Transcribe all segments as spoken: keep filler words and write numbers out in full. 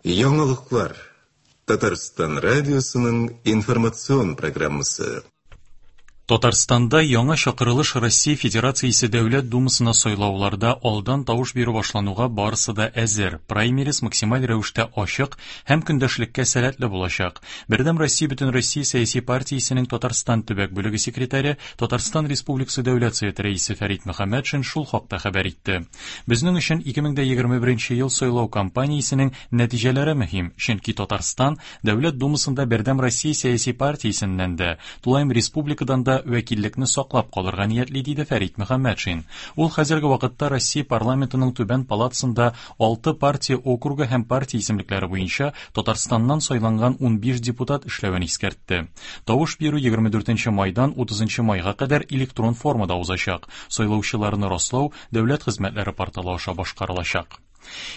Яңалыклар. Татарстан радиосының информацион программасы. Татарстанда яңа чакырылыш Россия Федерациясе Дәүләт Думасына сайлауларда алдан тавыш бирү башлануга барысы да әзер. Праймериз максималь рәвештә ачык һәм көндәшлеккә сәләтле булачак. Бердәм Россия Бөтенроссия сәяси партиясенең Татарстан төбәк бүлеге секретаре, Татарстан Республикасы Дәүләт Советы рәисе Фәрит Мөхәммәтшин шул хакта хәбәр итте. Безнең өчен ике мең егерме беренче ел сайлау кампаниясенең нәтиҗәләре мөһим, чөнки Татарстан Дәүләт Думасында Бердәм Россия сәяси партиясеннән дә, тулаем республикадан да вәкиллекне саклап калырга ниятли, диде Фәрит Мөхәммәтшин. Ул хәзерге вакытта Россия парламентының түбән палатасында алты партия округы һәм партия исемлекләре буенча Татарстаннан сайланган унбиш депутат эшләвен искәртте. Тавыш бирү егерме дүртенче майдан утызынчы майга кадәр электрон формада узачак. Сайлаучыларны раслау дәүләт хезмәтләре порталы аша башкарылачак.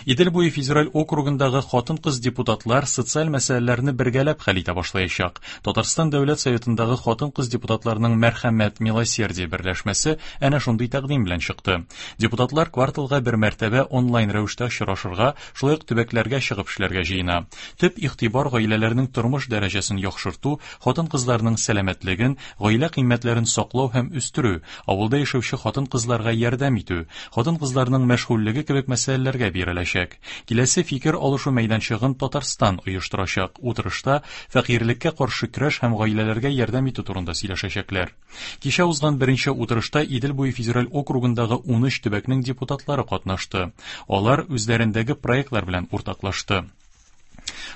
Идел буе федераль округындагы хатын-кыз депутатлар социаль мәсьәләләрне бергәләп хәл итә башлаячак. Татарстан Дәүләт Советындагы хатын-кыз депутатларының Мәрхәмәт Милосердие берләшмәсе әнә шундый тәкъдим белән чыкты. Депутатлар кварталга бер мәртәбә онлайн рәвештә очрашырга, шулай ук төбәкләргә чыгып эшләргә җыена. Төп игътибар гаиләләрнең тормыш дәрәҗәсен яхшырту, хатын-кызларның сәламәтлеген, гаилә кыйммәтләрен саклау һәм үстерү, авылда яшәүче хатын-кызларга ярдәм итү, хатын-кызларның мәшгульлеге кебек мәсьәләләргә биреләчәк. Киләсе фикер алышу мәйданчыгын Татарстан оештырачак. Утырышта фәкыйрьлеккә каршы көрәш һәм гаиләләргә ярдәм итү турында сөйләшәчәкләр. Кичә узган беренче утырышта Идел буе федераль округындагы унөч төбәкнең депутатлары катнашты. Алар үзләрендәге проектлар белән уртаклашты.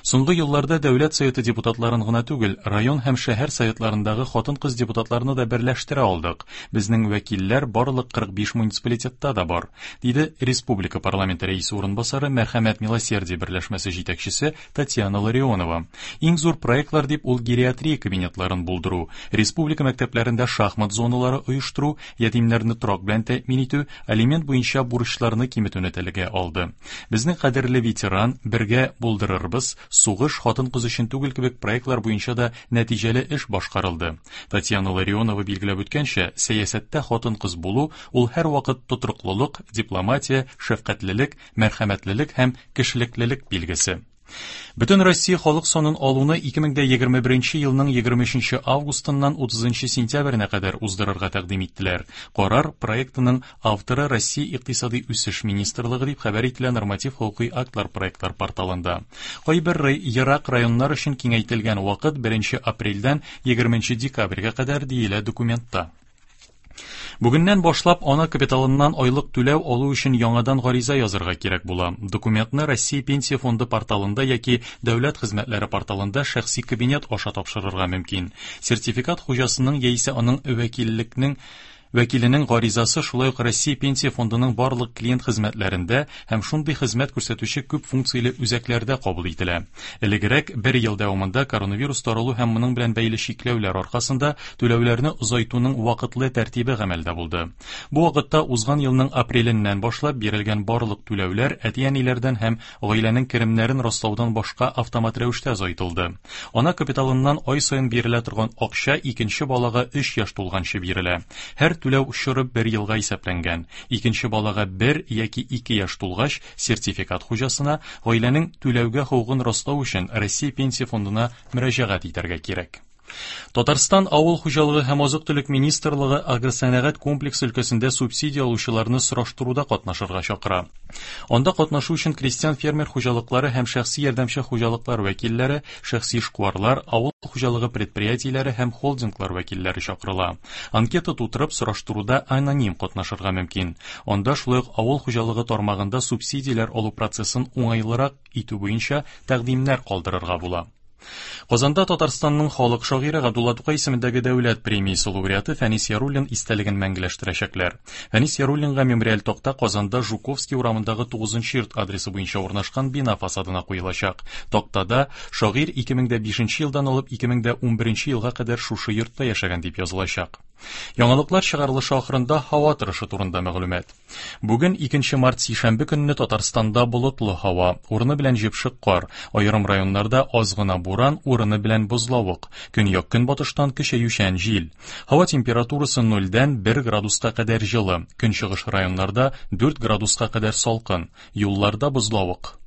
Соңгы елларда Дәүләт Советы депутатларын гына түгел, район һәм шәһәр советларындагы хатын-кыз депутатларны да берләштерә алдык. Безнең вәкилләр барлык кырык биш муниципалитетта да бар, диде Республика парламенты рәисе урынбасары Мәрхәмәт Милосердие берләшмәсе җитәкчесе Татьяна Ларионова. Иң зур проектлар дип ул гериатрия кабинетларын булдыру, республика мәктәпләрендә шахмат зоналары оештыру, ятимнәрне торак белән тәэмин итү, алимент буенча бурычларны киметүне телгә алды. Безнең кадерле ветеран, бергә булдырырбыз, сугыш хатын-кыз өчен түгел кебек проектлар буенча да нәтиҗәле эш башкарылды. Татьяна Ларионова билгеләп үткәнчә, сәясәттә хатын-кыз булу ул һәрвакыт тотрыклылык, дипломатия, шәфкатьлелек, мәрхәмәтлелек һәм кешелеклелек билгесе. Бөтен Россия халык санын алуны ике мең егерме беренче елның егерме өченче августыннан утызынчы сентябренә кадәр уздырырга тәкъдим иттеләр. Карар проектының авторы Россия Икътисади үсеш министрлыгы дип хәбәр ителә норматив хокукый актлар проектлар порталында. Кайбер ерак районнар өчен киңәйтелгән вакыт беренче апрельдән егерменче декабрьгә кадәр диелә документта. Бүгеннән башлап ана капиталыннан айлык түләү алу өчен яңадан гариза язырга кирәк була. Документны Россия Пенсия фонды порталында яки Дәүләт хезмәтләре порталында шәхси кабинет аша тапшырырга мөмкин. Сертификат хуҗасының яисә аның вәкиллекнең вәкиленең гаризасы шулай ук Россия Пенсия фондының барлык клиент хезмәтләрендә һәм шундый хезмәт күрсәтүче күп функцияле үзәкләрдә кабул ителә. Элегрәк бер ел дәвамында коронавирус таралу һәм моның белән бәйле чикләүләр аркасында түләүләрне озайтуның вакытлы тәртибе гамәлдә булды. Бу вакытта узган елның апреленнән башлап бирелгән барлык түләүләр әти-әниләрдән һәм гаиләнең керемнәрен раслаудан башка автомат рәвештә озайтылды. Ана капиталыннан ай саен бирелә торган акча икенче балага өч яшь тулганчы бирелә. Һәр түләү чоры бер елга исәпләнгән. Икенче балага бер яки ике яшь тулгач, сертификат хуҗасына гаиләнең түләүгә хокукын раслау өчен Россия Пенсия фондына мөрәҗәгать итәргә кирәк. Татарстан Авыл хуҗалыгы һәм азык-төлек министрлыгы агросәнәгать комплексы өлкәсендә субсидия алучыларны сораштыруда катнашырга чакыра. Анда катнашу өчен крестьян фермер хуҗалыклары һәм шәхси ярдәмче хуҗалыклар вәкилләре, шәхси эшкуарлар, авыл хуҗалыгы предприятиеләре һәм холдинглар вәкилләре чакырыла. Анкета тутырып сораштыруда аноним катнашырга мөмкин. Анда шулай ук авыл хуҗалыгы тармагында субсидияләр алу процессын уңайлырак итү буенча тәкъдимнәр калдырырга була. Казанда Татарстанның халык шагыйре Габдулла Тукай исемендәге дәүләт премиясе лауреаты Фәнис Яруллин истәлеген мәңгеләштерәчәкләр. Фәнис Яруллинга мемориаль такта Казанда Жуковский урамындагы тугызынчы йорт адресы буенча урнашкан бина фасадына куелачак. Тактада шагыйрь ике мең бишенче елдан алып ике мең унберенче елга кадәр шушы йортта яшәгән дип язылачак. Яңалыклар чыгарылышы ахырында һава торышы турында мәгълүмат. Бүген икенче март сишәмбе көнне Татарстанда болытлы һава, урыны белән җепшек кар, аерым районнарда аз гына буран, урыны белән бозлавык, көньяк-көнбатыштан көчәючән җил. Һава температурасы нольдән бер градуска кадәр җылы, көнчыгыш районнарда дүрт градуска кадәр салкын, юлларда бозлавык.